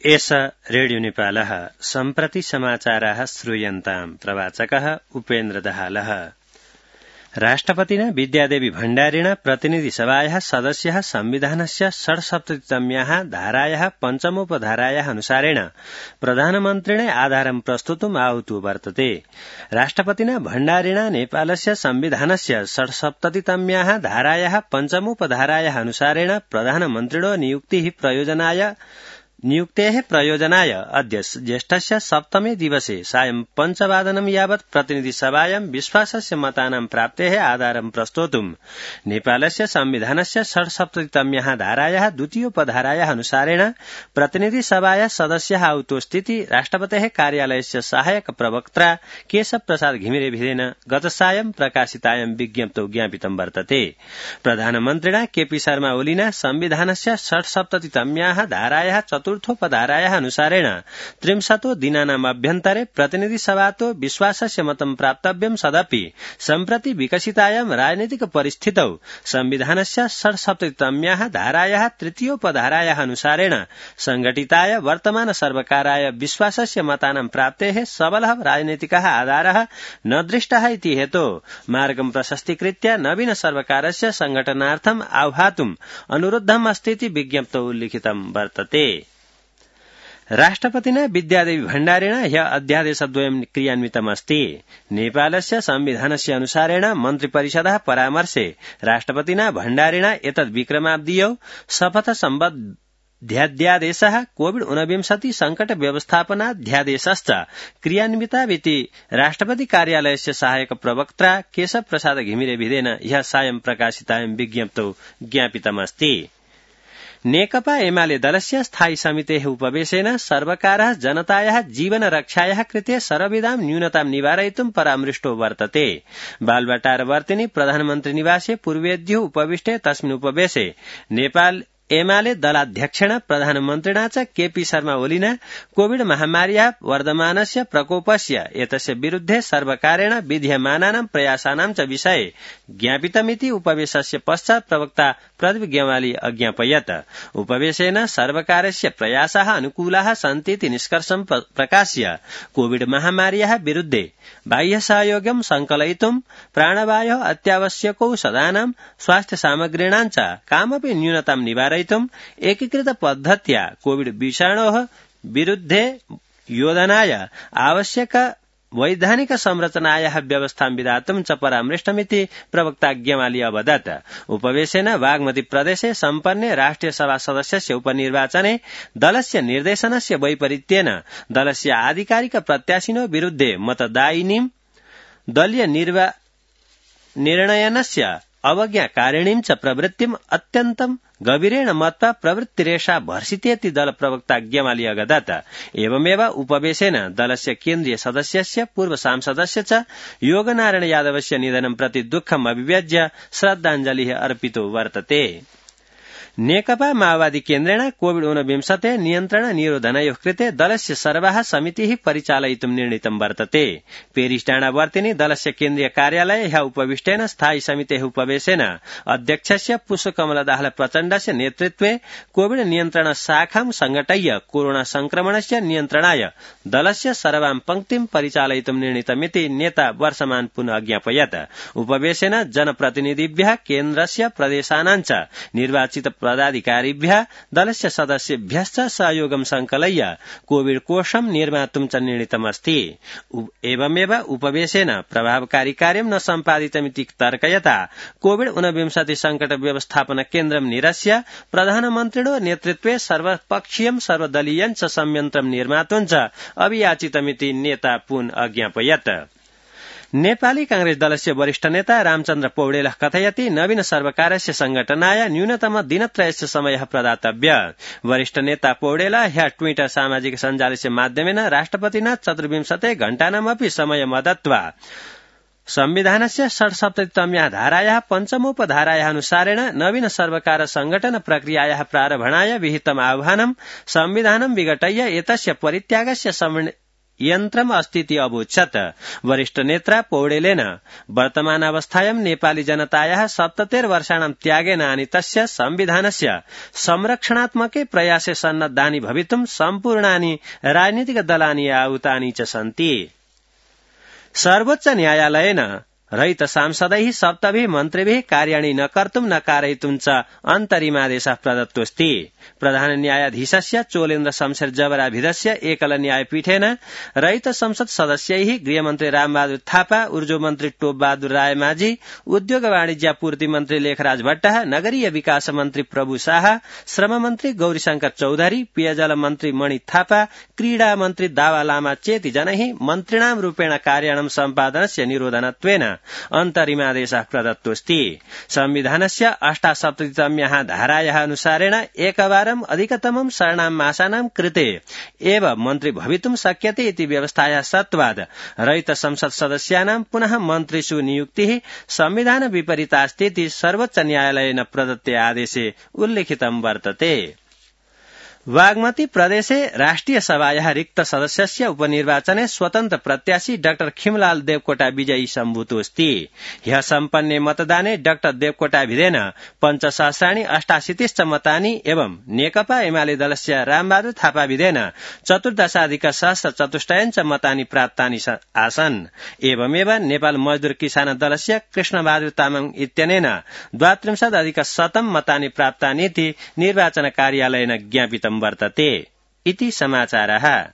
एष रेडियो नेपालः सम्प्रति समाचाराः श्रूयन्ताम् प्रवाचकः उपेन्द्र दहालः। राष्ट्रपतिना विद्यादेवी भण्डारिणा प्रतिनिधिसभायाः सदस्यः संविधानस्य 67तम्याः धारायाः पञ्चमोपधारायाः अनुसारेण प्रधानमन्त्रिणे आधारं प्रस्तुतुम् आहुतो वर्तते। राष्ट्रपतिना भण्डारिणा नेपालस्य संविधानस्य 67तम्याः धारायाः पञ्चमोपधारायाः अनुसारेण प्रधानमन्त्रिणो नियुक्तेः प्रयोजनाय अद्य ज्येष्ठस्य सप्तमे दिवसे सायं 5:00 यावत् प्रतिनिधिसभायां विश्वासस्य मतानां प्राप्तेः आधारं प्रस्तोतुम् नेपालस्य संविधानस्य 67तम्याः धारायाः द्वितीयोपधारायाः अनुसारेण प्रतिनिधिसभायाः सदस्यः आहुतोस्तिति राष्ट्रपतेः कार्यालयस्य सहायक प्रवक्त्रा केशव प्रसाद घिमिरेभिरेन गत सायं प्रकाशितायां विज्ञप्तौ ज्ञापितं वर्तते। प्रधानमन्त्रिणा केपी शर्मा ओलीना संविधानस्य 67तम्याः धारायाः चतुर्थोपधारायाः अनुसारेण 30 दिनानाम् अभ्यन्तरे प्रतिनिधिसभातो विश्वासस्य मतं प्राप्तव्यं सदपि सम्प्रति विकसितायां राजनीतिक परिस्थितौ संविधानस्य 67तम्याः धारायाः तृतीयोपधारायाः अनुसारेण संघटिताय वर्तमान सर्वकाराय विश्वासस्य मतानां प्राप्तेः सबलः राजनीतिकः आधारः न दृष्टः इति हेतोः मार्गं प्रशस्तीकृत्य नवीन सर्वकारस्य संघटनार्थम् आह्वातुम् अनुरुद्धम् अस्तीति विज्ञप्तौ उल्लिखितं वर्तते। राष्ट्रपतिना विद्यादेवी भण्डारिणा ह्यः अध्यादेशद्वयं क्रियान्वितमस्ति। नेपालस्य संविधानस्य अनुसारेण मन्त्रिपरिषदः परामर्शे राष्ट्रपतिना भण्डारिणा एतद् विक्रमाब्दीयौ शपथ सम्बद्धाध्यादेशः कोविड-19 संकट व्यवस्थापनाध्यादेशश्च क्रियान्विताविति राष्ट्रपति कार्यालयस्य सहायक प्रवक्त्रा केशव प्रसाद घिमिरेभिरेन ह्यः सायं प्रकाशितायां विज्ञप्तौ ज्ञापितमस्ति। नेकपा एमाले दलस्य स्थायी समितेः उपवेशेन सर्वकारः जनतायाः जीवन रक्षायाः कृते सर्वविधां न्यूनतां निवारयितुं परामृष्टो वर्तते। बालवाटारवर्तिनि प्रधानमन्त्री निवासे पूर्वेद्युः उपविष्टे तस्मिन् उपवेशे नेपाल एमाले दलाध्यक्षेण प्रधानमन्त्रिणा च केपी शर्मा ओलीना कोविड महामार्याः वर्धमानस्य प्रकोपस्य एतस्य विरुद्धे सर्वकारेण विधीयमानानां प्रयासानां च विषये ज्ञापितमिति उपवेशस्य पश्चात् प्रवक्ता प्रदीप गेवाली अज्ञापयत्। उपवेशेन सर्वकारस्य प्रयासाः अनुकूलाः सन्तीति निष्कर्षं प्रकाश्य कोविड महामार्याः विरुद्धे बाह्य सहयोगं संकलयितुं प्राणवायोः अत्यावश्यकौषधानां स्वास्थ्य सामग्रीणां च कामपि न्यूनतां निवारयितुं एकीकृत पद्धत्या कोविड विषाणोः विरुद्धे योधनाय आवश्यक वैधानिक संरचनायाः व्यवस्थां विधातुं च परामृष्टमिति प्रवक्ता ज्ञवाली अवदत्। उपवेशेन बागमती प्रदेशे सम्पन्ने राष्ट्रिय सभा सदस्यस्य उपनिर्वाचने दलस्य निर्देशनस्य वैपरीत्येन दलस्य आधिकारिक प्रत्याशिनो विरुद्धे मतदायिनीं दलीय निर्णयनस्य अवज्ञाकारिणीं च प्रवृत्तिम् अत्यन्तं गभीरेण मत्वा प्रवृत्तिरेषा भर्सितेति दल प्रवक्ता ज्ञवाली अगदत्। एवमेव उपवेशेन दलस्य केन्द्रीय सदस्यस्य पूर्व सांसदस्य च योगनारायण यादवस्य निधनं प्रति दुःखम् अभिव्यज्य श्रद्धाञ्जलिः अर्पितो वर्तते। नेकपा माओवादी केन्द्रेण कोविड-19 नियन्त्रण निरोधनयोः कृते दलस्य सर्वाः समितिः परिचालयितुं निर्णीतं वर्तते। पेरिसडाँडावर्तिनि दलस्य केन्द्रीय कार्यालये ह्यः उपविष्टेन स्थायी समितेः उपवेशेन अध्यक्षस्य पुष्पकमल दाहाल प्रचण्डस्य नेतृत्वे कोविड नियन्त्रण शाखां संघटय्य कोरोना संक्रमणस्य नियन्त्रणाय दलस्य सर्वां पङ्क्तिं परिचालयितुं निर्णीतमिति नेता वर्षमान पुनः अज्ञापयत्। उपवेशेन जनप्रतिनिधिभ्यः केन्द्रस्य प्रदेशानां च निर्वाचित पदाधिकारिभ्यः दलस्य सदस्येभ्यश्च सहयोगं संकलय्य कोविड कोशं निर्मातुं च निर्णीतमस्ति। एवमेव उपवेशेन प्रभावकारी कार्यं न सम्पादितमिति तर्कयता कोविड-19 संकट व्यवस्थापन केन्द्रं निरस्य प्रधानमन्त्रिणो नेतृत्वे सर्वपक्षीयं सर्वदलीयं च संयन्त्रं निर्मातुं च अभियाचितमिति नेता पुनः अज्ञापयत्। नेपाली कांग्रेस दलस्य वरिष्ठ नेता रामचन्द्र पौडेलः कथयति नवीन सर्वकारस्य संघटनाय न्यूनतम दिनत्रयस्य समयः प्रदातव्य। वरिष्ठ नेता पौडेलः ह्यः ट्विटर सामाजिक सञ्जालस्य माध्यमेन राष्ट्रपतिना 24 घण्टानामपि समयम् दत्त्वा संविधानस्य 67तम्याः धारायाः पञ्चमोपधारायाः अनुसारेण नवीन सर्वकार संघटन प्रक्रियायाः प्रारम्भणाय विहितम् आह्वानं संविधानं विघटय्य एतस्य परित्यागस्य यन्त्रम् अस्तीति अवोचत्। वरिष्ठ नेत्रा पौडेलेन वर्तमानावस्थायां नेपाली जनतायाः 77 वर्षाणां त्यागेन आनीतस्य संविधानस्य संरक्षणात्मके प्रयासे सन्नद्धानि भवितुं सम्पूर्णानि राजनीतिक दलानि आहूतानि च सन्ति। सर्वोच्च न्यायालयेन रहित सांसदैः सप्तभिः मन्त्रिभिः कार्याणि न कर्तुं न कारयितुं च अन्तरिमादेशः प्रदत्तोऽस्ति। प्रधान न्यायाधीशस्य चोलेन्द्र शमशेर जबराभिधस्य एकल न्यायपीठेन रहित संसद सदस्यैः गृहमन्त्री रामबहादुर थापा, ऊर्जा मन्त्री टोपबहादुर रायमाझी, उद्योग वाणिज्यापूर्ति मन्त्री लेखराज भट्टः, नगरीय विकास मन्त्री प्रभु शाह, श्रम मन्त्री गौरीशंकर चौधरी, पेयजल मन्त्री मणि थापा, क्रीडा मन्त्री दावा लामा चेति जनैः मन्त्रिणां रूपेण कार्याणां सम्पादनस्य निरोधनत्वेन अन्तरिमादेशः प्रदत्तोऽस्ति। संविधानस्य 78तम्याः धारायाः अनुसारेण एकवारम् अधिकतमं षण्णां मासानां कृते एव मन्त्री भवितुं शक्यते इति व्यवस्थायाः सत्त्वात् रहित संसद सदस्यानां पुनः मन्त्रिषु नियुक्तिः संविधान विपरीतास्तीति सर्वोच्च न्यायालयेन प्रदत्ते आदेशे उल्लिखितं वर्तते। बागमती प्रदेशे राष्ट्रिय सभायाः रिक्त सदस्यस्य उपनिर्वाचने स्वतन्त्र प्रत्याशी डाक्टर खिमलाल देवकोटा विजयी सम्भूतोऽस्ति। ह्यः सम्पन्ने मतदाने डाक्टर देवकोटाभिधेन 5,88 मतानि एवं नेकपा एमाले दलस्य रामबहादुर थापाभिधेन 14,000 मतानि प्राप्तानि आसन्। एवमेव नेपाल मजदूर किसान दलस्य कृष्णबहादुर तामाङ इत्यनेन 32,100 मतानि प्राप्तानीति निर्वाचन कार्यालयेन ज्ञापितम् वर्तते। इति समाचारः।